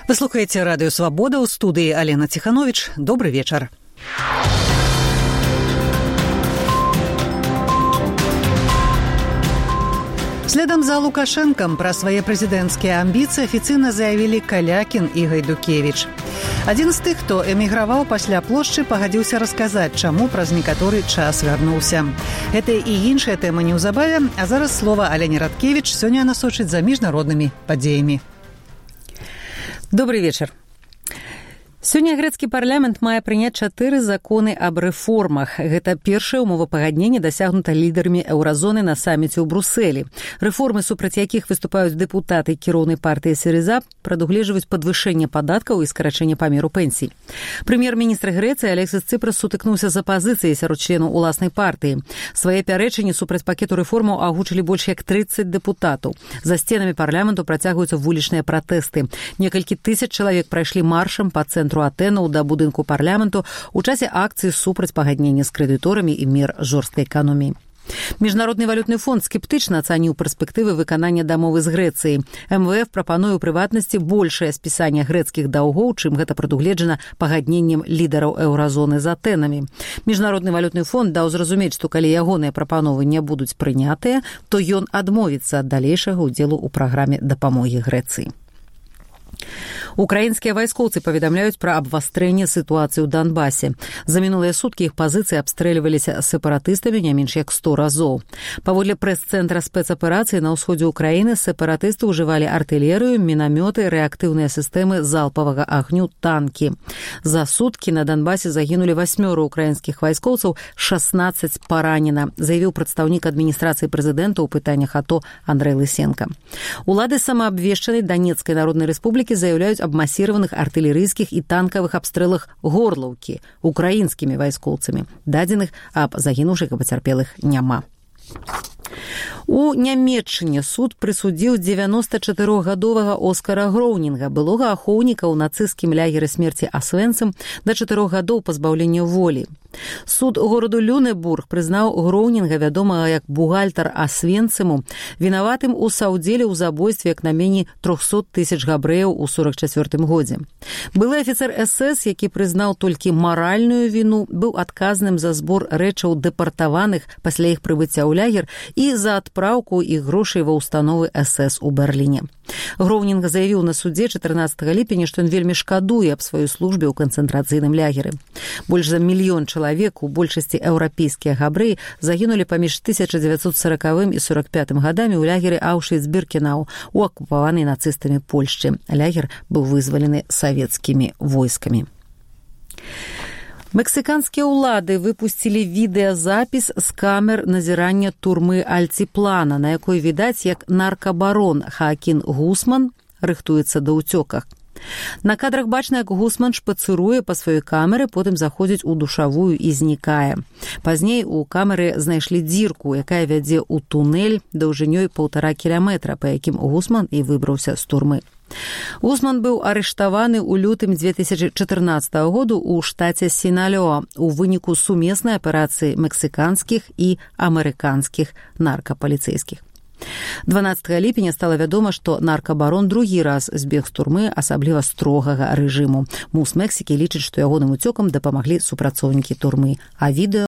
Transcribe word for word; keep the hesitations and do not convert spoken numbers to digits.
Вы слухаеце радыё «Свабода», ў студыі Алена Ціхановіч. Добры вечар. Следам за Лукашэнкам пра свае прэзідэнцкія амбіцыі афіцыйна заявілі Калякін і Гайдукевіч. Адзін з тых, хто эміграваў пасля плошчы, пагадзіўся расказаць, чаму праз некаторы час вярнуўся. Гэта і іншыя тэмы неўзабаве, а зараз слова Алене Радкевіч сёння насочыць за міжнароднымі падзеямі. Добрый вечер. Сёння грэцкі парламент мае прыняць чатыры законы аб рэформах. Гэта першае умовапагадненне дасягнута лідарамі еўразоны на саміце ў Брусэлі. Рэформы, супраць якіх выступаюць дэпутаты кіроўнай партыі СΥРИЗА, прадугледжваюць падвышэнне падаткаў і скарачэнне памеру пенсій. Прэм'ер-міністр Грэцыі Алексіс Цыпрас сутыкнуўся з апазіцыяй сярод членаў уласнай партыі. Свае пярэчанні супраць пакету рэформаў агучылі больш як трыццаць дэпутатаў. За сценамі парламенту працягваюцца вулічныя пратэсты. Некалькі тысяч чалавек прайшлі маршам па цэнтру Атэнаў да будынку парламенту ў часе акцыі супраць пагаднення з крэдыторамі і мер жорсткай эканоміі. Міжнародны валютны фонд скептычна ацаніў перспектывы выканання дамовы з Грэцыяй. эм вэ эф прапануе ў прыватнасці большае спісанне грэцкіх даўгоў, чым гэта прадугледжана пагадненнем лідараў еўразоны з Атэнамі. Міжнародны валютны фонд даў зразумець, што калі ягоныя прапановы не будуць прынятыя, то ён адмовіцца ад далейшага ўдзелу ў праграме дапамогі Грэцыі. Украінскія вайскоўцы паведамляюць пра абвастрэнне сітуацыі ў Донбасе. За мінулыя суткі іх пазіцыі абстрэльваліся сепаратыстамі не менш як сто разоў. Паводле прэс-цэнтра спецаперацыі на ўсходзе ўкраіны сепаратысты ўжывалі артылерыю, мінамёты, рэактыўныя сістэмы залпавага агню, танкі. За суткі на Донбасе загінулі васьмёра украінскіх вайскоўцаў, шаснаццаць паранена, заявіў прадстаўнік адміністрацыі прэзідэнта ў пытаннях АТО Андрэй Лысенка. Улады самаабвешчанай Данецкай народнай рэспублікі заяўляюць аб масіраваных артылерыйскіх і танкавых абстрэлах Горлаўкі украінскімі вайскоўцамі. Дадзеных аб загінуўшых і пацярпелых няма. У Нямецчыне суд прысудзіў дзевяностачатырохгадовага Оскара Гроўнінга, былога ахоўніка ў нацысцкім лягеры смерці Асвенцым, да чатырох гадоў пазбаўлення волі. Суд гораду Люнебург прызнаў Гроўнінга, вядомага як бухгалтар Асвенцыму, вінаватым у саўдзеле ў забойстве як найменей трохсот тысяч габрэяў у сорак чацвёртым годзе. Былы афіцэр эс эс, які прызнаў толькі маральную віну, быў адказным за збор рэчаў дэпартаваных пасля іх прыбыцця ў лягер і за адпраўку іх грошай ва ўстановы эс эс у Берліне. Гроўнінг заявіў на судзе чатырнаццатага ліпеня, што ён вельмі шкадуе аб сваёй службе ў канцэнтрацыйным лягеры. Больш за мільён чалавек, у большасці еўрапейскія габрэі, загінулі паміж тысяча дзевяцьсот саракавым і сорак пятым гадамі ў лягеры Аўшвіц-Біркенау у акупаванай нацыстамі Польшчы. Лягер быў вызвалены савецкімі войскамі. Мексіканскія ўлады выпусцілі відэазапіс з камер назірання турмы Альціплана, на якой відаць, як наркабарон Хаакін Гусман рыхтуецца да ўцёках. На кадрах бачна, як Гусман шпацыруе па сваёй камеры, потым заходзіць у душавую і знікае. Пазней у камеры знайшлі дзірку, якая вядзе ў тунэль даўжынёй паўтара кіляметра, па якім Гусман і выбраўся з турмы. Гусман быў арыштаваны ў лютым дзве тысячы чатырнаццатага году ў штаце Сіналёа у выніку сумеснай аперацыі мексіканскіх і амерыканскіх наркапаліцэйскіх. дванаццатага ліпеня стала вядома, што наркабарон другі раз збег з турмы асабліва строгага рэжыму. МУС Мексікі лічыць, што ягоным уцёкам дапамаглі супрацоўнікі турмы, а відэо